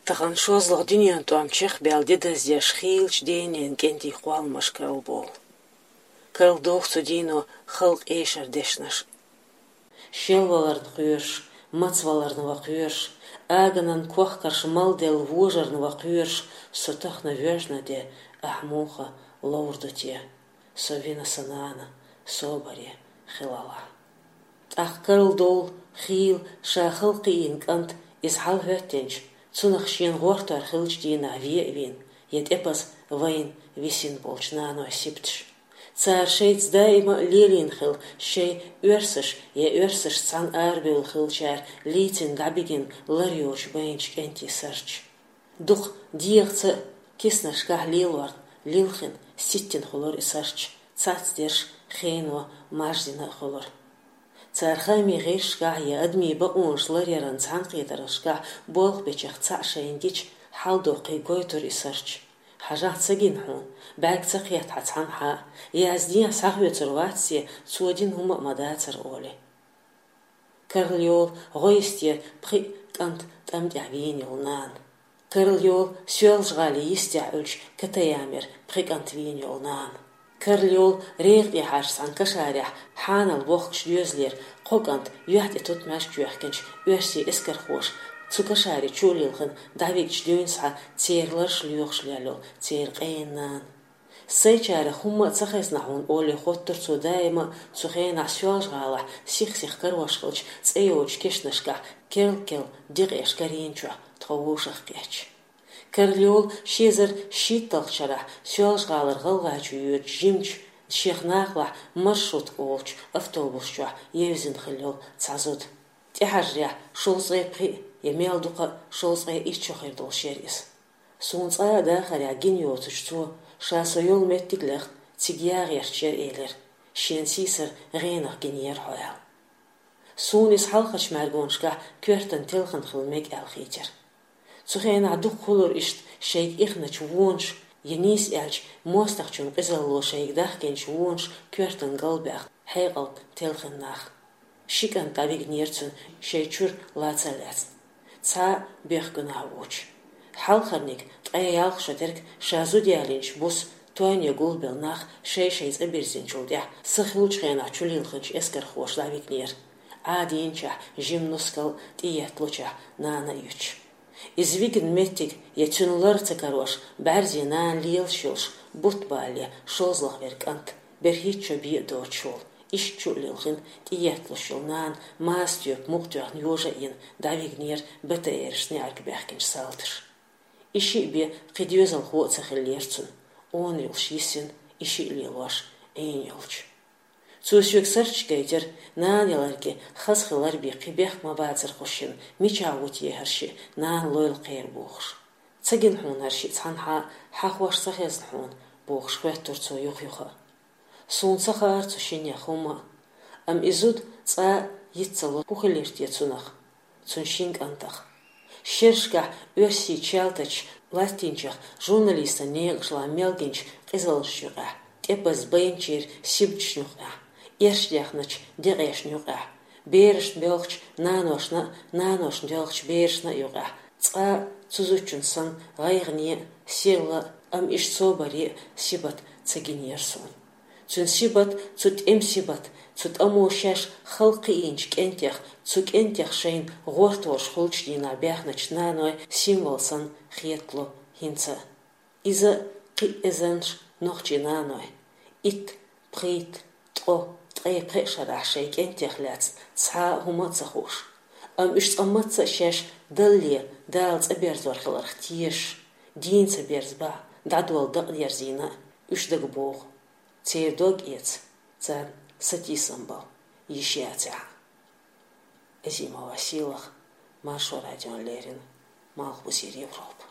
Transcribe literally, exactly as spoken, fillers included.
Тахан шозлагӀа дуьнен тӀом чехбаьлла де даздеш хийлача денен кӀентий кхолламаш карлабовла. Карлаболх цу дийно халкъа эшар дешнаш. Шелваларна кхоьруш, мацваларна ва кхоьруш, аганан кохкарш малделла вожарна ва кхоьруш, со тахана воьжна де, ахь муха ловр ду те, со вина сан нана, собаре хилалахь. ТӀаккха карладовла хийла ша халкъа кхиийна кӀант, иза хьалахӀоьттинчу, цунах шена гӀортор хиллачу дийнахь ве а вийна, я тӀепаза вайна висина болчу нанойн сибаташ. Цара шайца даима а лелийна хилла шайн оьрсаш я оьрсашца цхьаьна арабевлла хиллачара лийцина дӀабигина лар йоцуш байначу кӀентий сарч. Дукха дегӀаца а, киснашкахь лелорна, лилхина, ситтина хуьлура и сарч, цацдерш хено маждина а хуьлура. Цара хаамийн гӀирсашкахь я адамийн бакъонаш ларъяран цхьаьнакхетаршкахь болх бечех цхьаъ шайна гича, хьалдоккхий гойтура и сарч. Хьажахь, ца гина хьуна, бӀаьрг ца кхетта хьан цхьанхьа а, яздехьа схьахоьцур вац те, цо дина хӀума а ма дацара олий. Карла йолу гӀо йисте пхи кӀант тӀам тӀехь вийна йолу нана. Карла йолу Соьлжа-ГӀалин йистехь Ӏуьллучу Катаямера пхи кӀант вийна йолу нана. Карла йолу регӀа тӀехьарчу цхьана кашарехь хьанал бохкучу доьзалера кхо кӀант юьхь тӀе тутмаш чоьхкинчу оьрсийн эскархоша цу кашаре чу а лилхина дӀавигча дуьйна схьа церан ларш лоьхуш лелла йолу церан къена нана. Сайчарах хӀумма а ца хезна хьуна олий хоттура цо даима а, цу хенахь Соьлжа-ГӀалахь сих-сиха карош хиллачу цӀе йоцучу кешнашкахь керл-керла декъеш карийначохь тхо вовшахкхетча. Карла йолу ши эзар шийтталгӀачу шарахь Соьлжа-ГӀалара ГӀалгӀайчу йоьдучу жимачу, шех накъалахь маршрутка олучу автобус чохь евзина хилла йолу цхьа зуда. ТӀехьажарехь шовзткъе пхиъ я мел дукха а шовзткъе итт шо хир долуш яра иза. Суна цкъа а дахарехь гина йоцучу цо, ша со йолу меттиг а лехна, цига яхьа гӀерташ яра элира, шена сийсара гӀенах гинера хьо аьлла. Суна иза хьалхарчу мӀаьргонашкахь коьртана телхина хила мега аьлла хийтира. Цу хенахь дукха хуьлура иштта шайга ихначу вонаша, я нийса аьлча, мостагӀчун къизалло шайга дахкинчу вонаша коьртана галбаьхна, хьекъална телхина нах. Ши кӀант дӀавигнера цуьнан шайн чуьра лаца а лаьцна, цхьа а боьхкинехь воцуш. Хьалхарниг, ткъе ялх шо терг, ша зуда ялийначу буса тойне гулбелла нах шай-шайн цӀа бирзинчул тӀаьхьа, сихлучу хенахь чулилхинчу эскархоша дӀавигнера, Ӏадийначохь, жима нускал а тӀеетталучохь нана а юьтуш. Иза вигна меттиг я цуьнан лар ца карош, бӀаьрзе нана лелаш йолуш, бутт балале шозлагӀа вера кӀант, берхӀитта шо бен а доцуш волу, иштта чу а лилхина, тӀеетталуш йолу нана маса тоьпан мукъа тоьхна йожа а йина, дӀавигнера БТР-аш неӀарга баьхкинчу салташа. И шиъ бен кхин доьзалхо а ца хиллера цуьнан, онан йолуш йисина, и шиъ лелош Ӏийна йолчу. Цо соьга сарч гайтира, нана яларге хаза хилар бен кхин бехк ма бацара хӀокху шинна, мичахь ву те хӀара шиъ, нана лойла кхера бохуш. Ца гина хьуна хӀара шиъ цхьанхьа а, хьан хош ца хезна хьуна, бохуш хоьттура цо юха-юха а. Суна ца хаьара цу шиннех хӀумма а. Амма и зуда цкъа а йиц ца ло хӀун хилира те цунах, цуьнан шина кӀантах. Шерашкахь оьрсийн чалтачу латтийначех журналистан некъаш лан мел гиначу къизаллашна юкъахь, тӀепаза байначеран сибаташна юкъахь, эршдаьхначу декъешна юкъахь, берашна боьлхучу наношна а, наношна доьлхучу берашна а юкъахь, цкъа а цу зудчун санна гӀайгӀане а, сирла а, амма иштта собаре а сибат ца гинера суна. Цуьнан сибат, цу тӀеман сибат, цу тӀамо шаьш халкъ кхиийначу кӀентех, цу кӀентех шайна гӀорторш хуьлучу дийнахь баьхначу нанойн символ санна хетало хӀинца а. Иза кхин а эзарнаш нохчийн нанойн, итт, пхийтта, ткъо, ткъе пхеа шарахь шайн кӀентех лаьцна цхьа а хӀума а ца хууш, амма уьш цкъа мацца а шаьш Далле, Дала цӀа берзор хиларх тешаш, дийна ца берза бахь, дӀадолла дакъа дерзийна а, уьш дага богӀу. Церан дог эца, царна сатийсам бала йиш яцахь а. Азимова Сийлаха, Маршо радиона леррина, Малхбузера Европа.